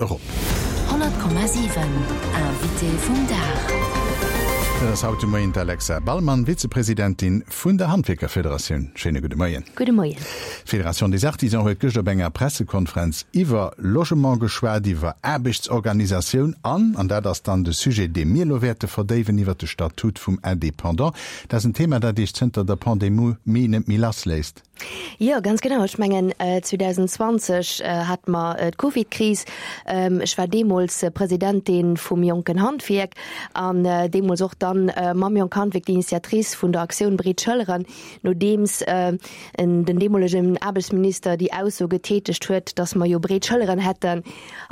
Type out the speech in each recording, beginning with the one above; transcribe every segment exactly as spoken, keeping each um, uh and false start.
Erop. honnert Komma siwen Invité vum Dag. Dat ass haut de Moien d'Alexa Ballmann, Vizepresidentin vun der Handwierkerfederatioun. Schéine gudde Moien. Gudde Moien. D'Fédération des Artisans huet gëschter op enger Pressekonferenz iwwer Logement geschwat, iwwer Aarbechtsorganisatioun an, an dat ass dann de Sujet, dee mir elo wäerte verdéiwen, iwwer de Statut vum Indépendant. Dat ass en Thema, dat Iech zënter der Pandemie net méi lassléisst. Jo, ganz genau. Ech mengen, zweedausendzwanzeg hate mer d'Covidkris. Ech war deemools Presidentin vum Jonken Handwierk an deemools och dann mam Jonk Handwierk d'Initiatrice vun der Aktioun Breet Schëlleren, nodeems den deemolegen Aarbechtsminister déi Ausso getätegt huet, dass mer jo breet Schëlleren hätten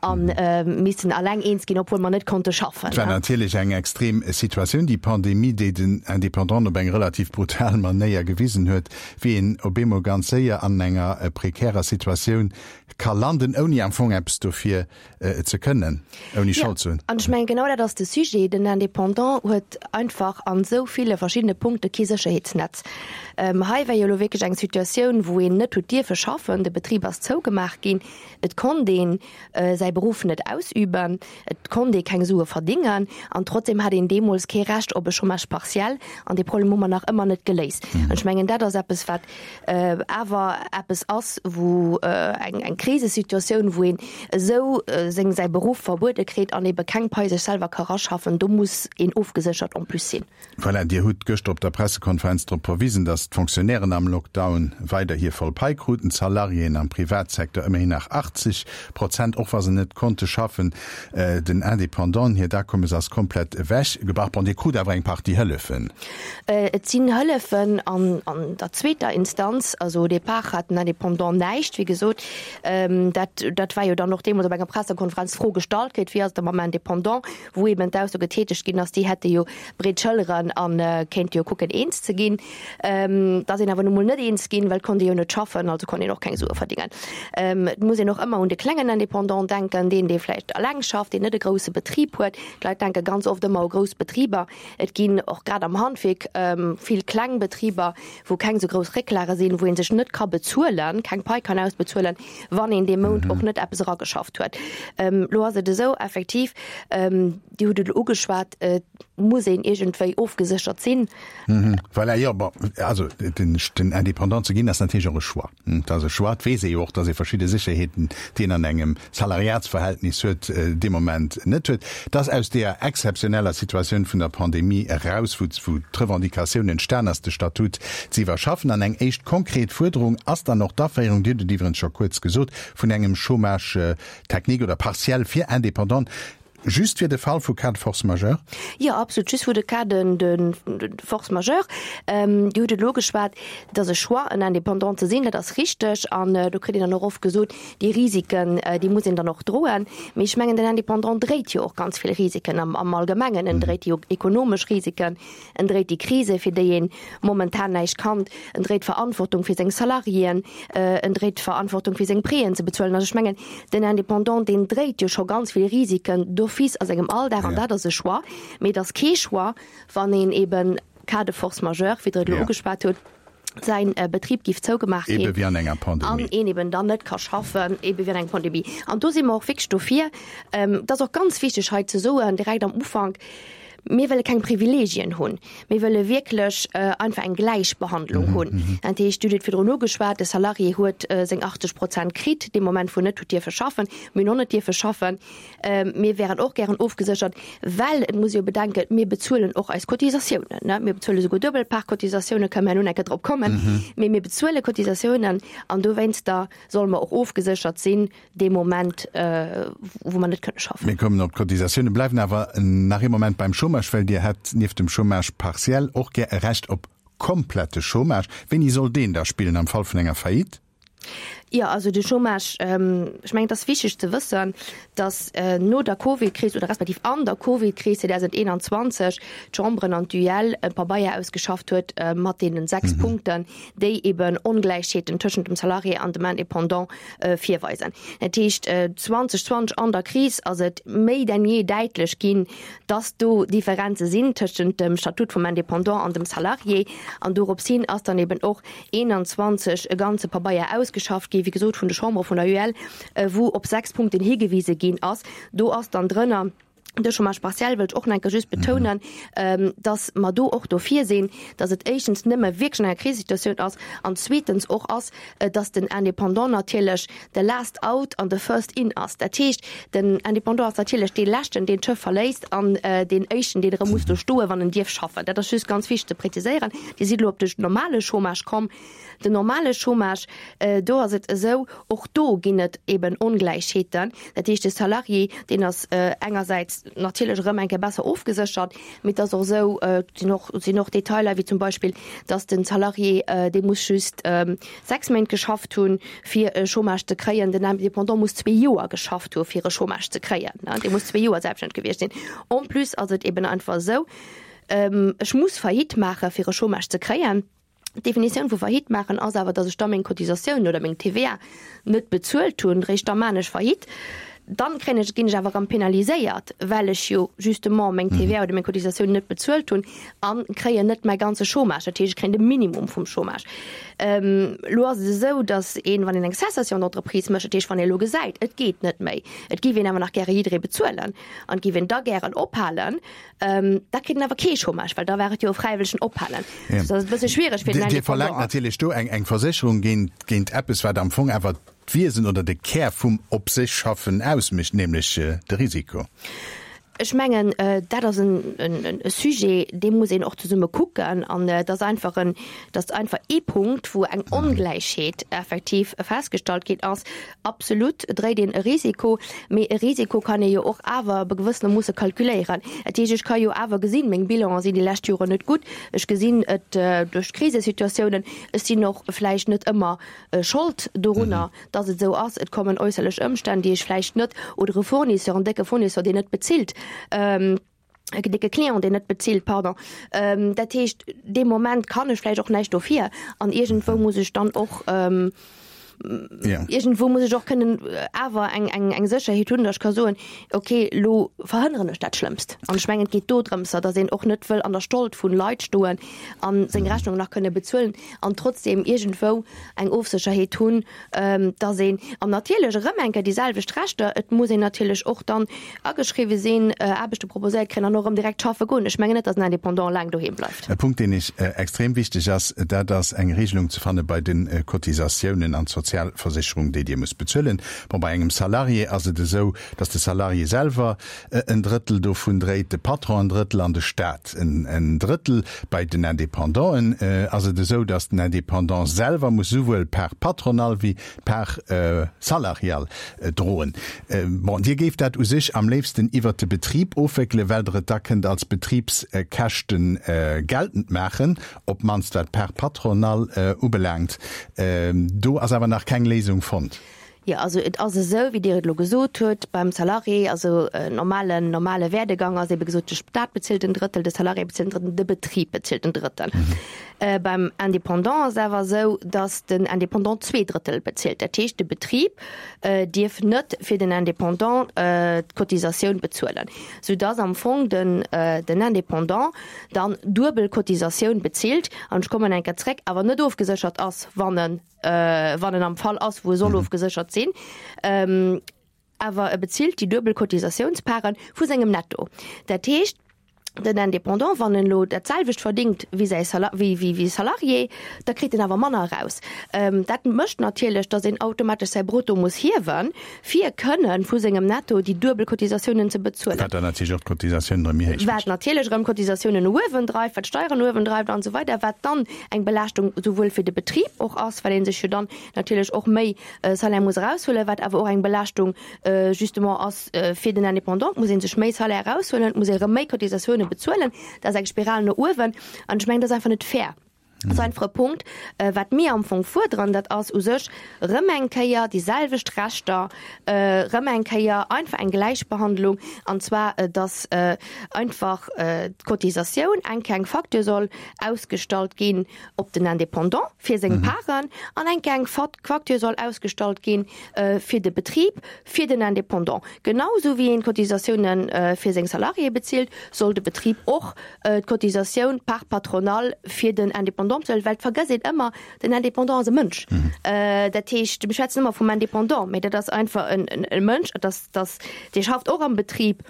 a missten alleng eens ginn, obwuel mer net konnte schaffen. Et war natierlech eng extrem Situatioun, déi Pandemie, déi den Indépendanten op eng relativ brutal Manéier gewisen huet, wéi een op eemol ganz séier an enger prekärer Situatioun ka landen, ouni am Fong eppes dofir ze kënnen, ouni Schold ze hunn. An ech mengen, genau dat ass de Sujet. Den Indépendant huet einfach an esou ville verschiddene Punkte kee Sécherheetsnetz. Hei war jo elo wierklech eng Situatioun, wou een net huet dierfe schaffen, de Betrib ass zougemaach ginn, et konnt ee säi Beruff net ausüben, et konnt ee keng Sue verdingen an trotzdeem hat een deemools kee Recht op e Chômage partiel. An dee Problem hu mer nach ëmmer net geléist. An ech mengen, dat ass eppes, wat awer eppes ass, wou eng eng Krisesituatioun, wou een esou seng säi Beruff verbuede kritt an ebe keng Pai sech selwer ka raschaffen, do muss een ofgeséchert en plus sinn. Voilà, Dir hutt gëschter op der Pressekonferenz drop verwisen, datt d'Fonctionnairen am Lockdown weider hir voll Pai kruten, d'Salariéen am Privatsecteur ëmmerhin nach achtzeg Prozent, och wa se net konnte schaffen. Den Independanten hiert Akommes ass komplett ewech gebrach. Bon, Dir krut awer eng Partie Hëllefen. Et sinn Hëllefen an an der zweeter Instanz. Also au départ hat den Indépendant näischt, wéi gesot. Dat dat war jo dann och deemools op enger Pressekonferenz d'Fro gestallt kritt, wéi ass et da mam Indépendant, wou eben d'Ausso getätegt ginn ass, déi hätte jo breet Schëlleren a kéinte jo kucken eens ze ginn. Et ass een awer nu mol net eens ginn, well et konnt ee jo net schaffen, also konnt een och keng Sue verdingen. Et muss een och ëmmer un de klengen Indépendant denken, deen, dee vläicht eleng schafft, deen net e grousse Betrib huet. D'Leit denke ganz oft ëmmer u grouss Betriber. Et ginn och grad am Handwierk vill kleng Betriber, wou keng esou grouss Récklage sinn, wou ee sech net ka bezuelen, keng Pai kann ausbezuelen, wann een dee Mount och net eppes erageschafft huet. Elo ass et esou, effektiv, Dir hutt et elo ugeschwat, et muss een iergendwéi ofgeséchert sinn. Voilà, jo, bon, also den, den Indépendant ze ginn, ass natierlech och e Choix. Et ass e Choix, et weess ee jo och, datt ee verschidde Sécherheeten, déi een an engem Salariatsverhältnis huet, dee Moment net huet. Et ass aus deeër exzeptioneller Situatioun vun der Pandemie eraus, wou, wou d'Revendicatioun entstan ass, de Statut ze iwwerschaffen. An eng éischt konkret Fuerderung ass dann och d'Aféierung, Dir hutt et iwwerens scho kuerz gesot, vun engem Chômage technique oder partiel fir Indépendanten. Just fir de Fall vu Cas de force majeure? Jo, absolut, just fir de Cas de, de, de force majeure. Dir hutt et elo geschwat, et ass e Choix, en Indépendant ze sinn, dat ass richteg. An do kritt een dann och oft gesot, déi Risiken, déi muss een dann och droen. Mee ech mengen, den Indépendant dréit jo och ganz vill Risiken am, am Allgemengen. En dréit déi ekonomesch Risiken, en dréit déi Krise, fir déi ee momentan näischt kann, en dréit d'Verantwortung fir seng Salariéen, en dréit d'Verantwortung fir seng Prêten ze bezuelen. Also ech mengen, den Indépendant, deen dréit jo scho ganz vill Risiken d'office a sengem Alldag, an dat ass e Choix. Mee et ass kee Choix, wann een eben cas de force majeure, wéi Der et elo ugeschwat hutt, säin Betrib géif zougemaach ginn. Ebe wéi an enger Pandemie. An een eben dann net ka schaffen, ebe wéi an enger Pandemie. An do si mer och wierklech dofir. Et ass och ganz wichteg hei ze soen, direkt am Ufank, Mir wëlle keng Privilegien hunn. Mir wëlle wierklech einfach eng Gläichbehandlung hunn. Dat heescht, Dir hutt et virdrun ugeschwat, de Salarié huet seng achtzeg Prozent kritt dee Moment, wou en net huet dierfe schaffen. Mir hunn och net dierfe schaffen. Mir wären och gären ofgeséchert, well et muss ee jo bedenken, mir bezuelen och eis Cotisatiounen. Mir bezuele souguer duebel Part-Cotisatiounen, kënnen mer herno nach eng Kéier drop kommen. Mee mir bezuele Cotisatiounen an dowéinster solle mer och ofgeséchert sinn dee Moment, wou mer net kënne schaffen. Mir kommen op d'Cotisatiounen, bleiwen awer nach ee Moment beim Chômage, well Dir hätt nieft dem Chômage partiel och gär e Recht op komplette Chômage. Wéini soll deen da spillen am Fall vun enger Faillite? Jo, also de Chômage, ech mengen, et ass wichteg ze wëssen, datt no der Covidkris oder respektiv an der Covidkris zweedausendeenanzwanzeg d'Chamberen an d'U L e Pabeier ausgeschafft huet mat deenen sechs Punkten, déi eben Ongläichheeten tëschent dem Salarié an dem Indépendant virweisen. Dat heescht, zweetausendzwanzeg an der Kris ass et méi denn jee däitlech ginn, dass do Differenze sinn tëschent dem Statut vum Indépendant an dem Salarié. An dorops hin ass dann eben och eenanzwanzeg e ganze Pabeier ausgeschafft ausgeschafft gi wéi gesot vun de Chambere vun der U E L, wou op sechs Punkten higewise ginn ass. Do ass dann drënner de Chômage partiel, wëllt ech och nach eng Kéier just betounen, dass mer do och dofir sinn, dass et éischtens nëmme wierklech an enger Krisesituatioun ass an zweetens och ass, dass den Indépendant natierlech de last out an de first in ass. Dat heescht, den Indépendant ass natierlech dee Leschten, deen d'Schëff verléisst an deen Éischten, deen erëm muss do stoen, wann en dierf schaffen. Dat ass just ganz wichteg ze präziséieren. Dir sidd elo op de normale Chômage komm. Den normale Chômage, do ass et esou, och do ginn et eben Ongläichheeten. Dat heescht, de Salarié, deen ass engersäits natierlech erëm eng Kéier besser ofgeséchert, mee et ass och esou, et sinn och, sinn och Detailer, wéi zum Beispill, dass de Salarié, dee muss just sechs Méint geschafft hunn, fir e Chômage ze kréien, den Indépendant muss zwee Joer geschafft hu fir e Chômage ze kréien, dee muss zwee Joer selbststänneg gewiescht sinn. En plus ass et eben einfach esou, ech muss Faillite maache fir e Chômage ze kréien. D'Definitioun vu Faillite maachen ass awer, datt ech da meng Cotisatiounen oder meng T V A net bezuelt hunn, réischt da maan ech Faillite. Dann kréien ech, ginn ech awer erëm penaliséiert, well ech jo justement meng T V A oder meng Cotisatiounen net bezuelt hunn a kréien net mäi ganze Chômage. Dat heescht, ech kréien de Minimum vum Chômage. Elo ass et esou, datt een, wann een eng Cessation d'entreprise mécht, dat heescht, wann ee elo gesäit, et geet net méi, et géif een awer nach gäre jidderee bezuelen an et géif een da gären ophalen, da kritt en awer kee Chômage, well da war et jo e fräiwëllegen Ophalen. Ja. Dat ass e bësse schwiereg fir den Dir verlaangt Indépendant. Natierlech do eng eng Versécherung géint géint eppes, wat am Fong awer d'Wiesen oder de Kär vum op sech schaffen ausmécht, nämlech de Risiko. Ech mengen, dat ass en en e Sujet, dee muss een och zesumme kucken an dat ass einfach en, dat ass einfach ee Punkt, wou eng Ongläichheet effektiv festgestallt ginn ass. Absolut dréit een e Risiko, mee e Risiko kann ee jo och awer op e gewëssene Moosse kalkuléieren. Dat heescht, ech ka jo awer gesinn, meng Bilanen sinn déi lescht Joren net gutt, ech gesinn et duerch d'Krisesituatiounen, ech sinn och vläicht net ëmmer Schold dorunner, dass et esou ass, et kommen äusserlech Ëmstänn, déi ech vläicht net, oder e Fournisseur, en décke Fournisseur, deen net bezilt, en décke Client, deen net bezilt, pardon. Dat heescht, dee Moment kann ech vläicht och näischt dofir an iergendwou muss ech dann och, iergendwou muss ech och kënnen awer eng, eng, eng Sécherheet hunn, dass ech ka soen, okay, elo verhënneren ech dat Schlëmmst. An ech mengen, et geet do drëms, dass een och net wëll an der Schold vun Leit stoen a seng Rechnung nach kënne bezuelen an trotzdem iergendwou eng Ofsécherheet hunn, dass een, an natierlech erëm eng Kéier déi selwecht Rechter, et muss een natierlech och dann ageschriwwe sinn, Aarbechte proposéiert kréien an och erëm direkt schaffe goen. Ech mengen net, dass en Indépendant laang doheem bleift. E Punkt, deen ech extrem wichteg ass, dat ass eng Regelung ze fanne bei de Cotisatiounen an d'Sozialversécherung, déi Dir musst bezuelen. Bon, bei engem Salarié ass et esou, dass de Salarié selwer en Drëttel dovun dréit, de Patron en Drëttel an de Staat en en Drëttel. Bei den Indépendanten ass et esou, dass den Indépendant selwer muss souwuel d'Part patronale wéi d'Part salariale droen. Bon, Dir géift dat u sech am léifsten iwwert de Betrib ofwéckelen, well Der et da kënnt als Betribskäschten geltend maachen, op d'mannst wat d'Part patronale ubelaangt. Do ass awer nach keng Léisung fonnt. Jo, also et ass esou, wéi Dir et elo gesot hutt, beim Salarié, also en normalen, normale Werdegang ass ebe gesot, de Staat bezilt en Drëttel, de Salarié bezilt en Drëttel, de Betrib bezilt en Drëttel. Beim Indépendant ass awer esou, datt den Indépendant zwee Drëttel bezilt. Dat heescht, de Betrib dierf net fir den Indépendant d'Cotisatioun bezuelen, soudatt am Fong den, den Indépendant dann duebel Cotisatioun bezilt, an ech kommen eng Kéier zréck, awer net ofgeséchert ass, wann en, wann en am Fall ass, wou e soll ofgeséchert sinn. Awer e bezilt déi duebel Cotisatiounsparen vu sengem Netto. Dat heescht, den Indépendant, wann en elo dat selwecht verdingt wéi säi Sala wéi wéi wéi Salarié, da kritt en awer manner eraus. Dat mécht natierlech, datt een automatesch säi Brutto muss hiewen, fir kënnen vu sengem Netto déi duebel Cotisatiounen ze bezuelen. Wat dann natierlech och d'Cotisatiounen erëm méi héich mécht. Wat natierlech erëm d'Cotisatiounen no uewen dreift, wat d'Steieren no uewen dreift an esou weider, wat dann eng Belaaschtung souwuel fir de Betrib och ass, well ee sech jo dann natierlech och méi Salaire muss eraushuelen, wat awer och eng Belaaschtung justement ass fir den Indépendant, et muss ee sech méi Salaire eraushuelen, et muss ee erëm méi Cotisatiounen bezuelen, dat ass eng Spiral no uewen an ech mengen, dat ass einfach net fair. Dat ass einfach e Punkt, wat mir am Fong fuerderen, dat ass u sech erëm eng Kéier déi selwecht Rechter, erëm eng Kéier einfach eng Gläichbehandlung, an zwar datt einfach d'Cotisatioun eng Kéier eng Facture soll ausgestallt ginn op den Indépendant fir seng Paren an eng Kéier eng Facture soll ausgestallt gi fir de Betrib, fir den Indépendant. Genau esou wéi een d'Cotisatiounen fir seng Salariéë bezilt, soll de Betrib och d'Cotisatioun, part patronale, fir den Indépendant Indépendant bezuelen, well et vergësst een ëmmer, den Indépendant ass e Mënsch. Dat heescht, mir schwätzen ëmmer vum Indépendant, mee dat ass einfach en Mënsch, dat ass, dat dee schafft och am Betrib.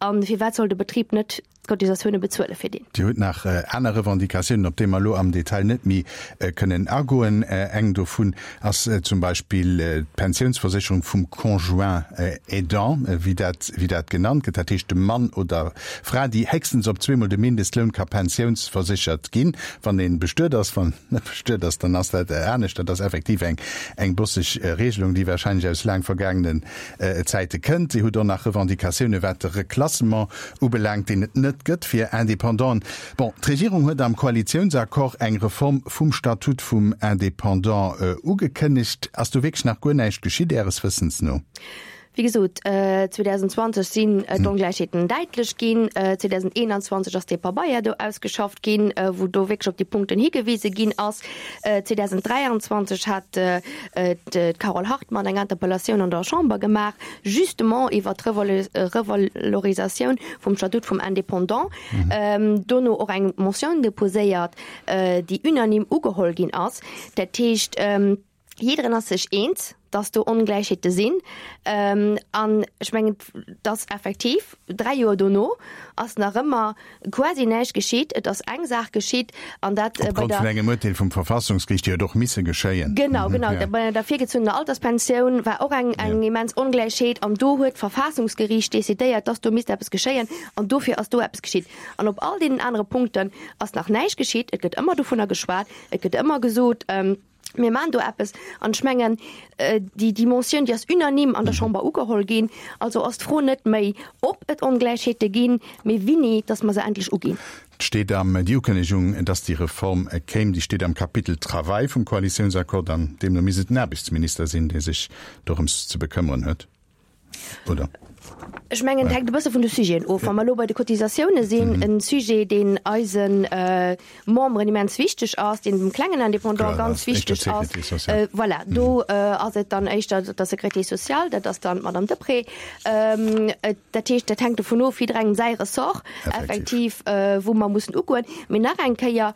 A firwat soll de Betrib net d'Cotisatioune bezuele fir deen? Dir hutt nach aner Revendicatiounen, op déi mer elo am Detail net méi kënnen agoen. Eng dovun ass zum Beispill d'Pensiounsversécherung vum Conjoint aidant, wéi dat, wéi dat genannt gëtt, dat heescht de Mann oder Fra, déi héchstens op zweemol de Mindestloun ka pensiounsverséchert ginn, wann ee bestuet ass. Wann net bestuet ass, dann ass dat anescht. Dat ass effektiv eng, eng bosseg Regelung, déi wahrscheinlech aus laang vergaangenen Zäite kënnt. Dir hutt och nach Revendicatioune wat de Reklassement ubelaangt, deen et net gëtt fir Indépendanten. Bon, d'Regierung huet am Koalitiounsaccord eng Reform vum Statut vum Indépendant ugekënnegt. Ass do wierklech nach guer näischt geschitt, Äres Wëssens no? Wéi gesot, zweedausendzwanzeg sinn d'Ongläichheeten däitlech ginn. zweedausendeonzwanzeg ass dee Pabeier do ausgeschafft ginn, wou do wierklech op déi Punkten higewise ginn ass. zweedausenddräianzwanzeg hat d'Carole Hartmann eng Interpellatioun an der Chamber gemaach, justement iwwert d'Revalorisatioun vum Statut vum Indépendant. Dono och eng Motioun deposéiert, déi unanime ugeholl ginn ass. Dat heescht, jiddereen ass sech eens, dass do Ongläichheete sinn. An ech mengen, dass effektiv dräi Joer dono ass nach ëmmer quasi näischt geschitt. Et ass eng Saach geschitt, an dat bei der. Opgrond vun engem Urteel vum Verfassungsgeriicht, déi huet och misse geschéien. Genau, genau. Bei der virgezunnener Alterspensioun war och eng, eng immens Ongläichheet, an do huet d'Verfassungsgeriicht decidéiert, dass do misst eppes geschéien, an dofir ass do eppes geschitt. An op all deenen anere Punkten ass nach näischt geschitt. Et gëtt ëmmer dovunner geschwat, et gëtt ëmmer gesot, Mir maachen do eppes. An ech mengen, déi, déi Motioun, déi ass unanime an der Chamber ugeholl ginn. Also ass d'Fro net méi, ob et Ongläichheete ginn, mee wéini, dass mer se endlech uginn. Et steet am, déi Ukënnegung, dass déi Reform kéim, déi steet am Kapitel Travail vum Koalitiounsaccord an deemno misst et den Aarbechtsminister sinn, dee sech dorëms ze bekëmmeren huet, oder? Ech mengen, et hänkt e bësse vun de Sujeten of. Wa mer elo bei de Cotisatioune sinn, e Sujet, deen eise Memberen immens wichteg ass, deen dem klengen Indépendant ganz wichteg ass, voilà, do ass et dann éischter der Sécurité sociale, dat ass dann d'Madame Deprez. Dat heescht, dat hänkt dovun of, jidderengem säi Ressort effektiv, wou mer mussen ugoen. Mee nach eng Kéier,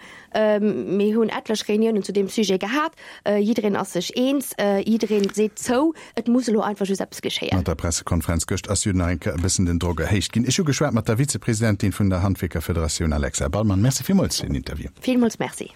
Mir hunn etlech Reuniounen zu deem Sujet gehat. Jiddereen ass sech eens, jiddereen seet zou, et muss elo einfach just eppes geschéien. Mat der Pressekonferenz gëscht ass jo nach eng Kéier e bëssen den Drock erhéicht ginn. Ech hu geschwat mat der Vizepresidentin vun der Handwierkerfederatioun Alexa Ballmann. Merci villmools fir den Interview. Villmools Merci.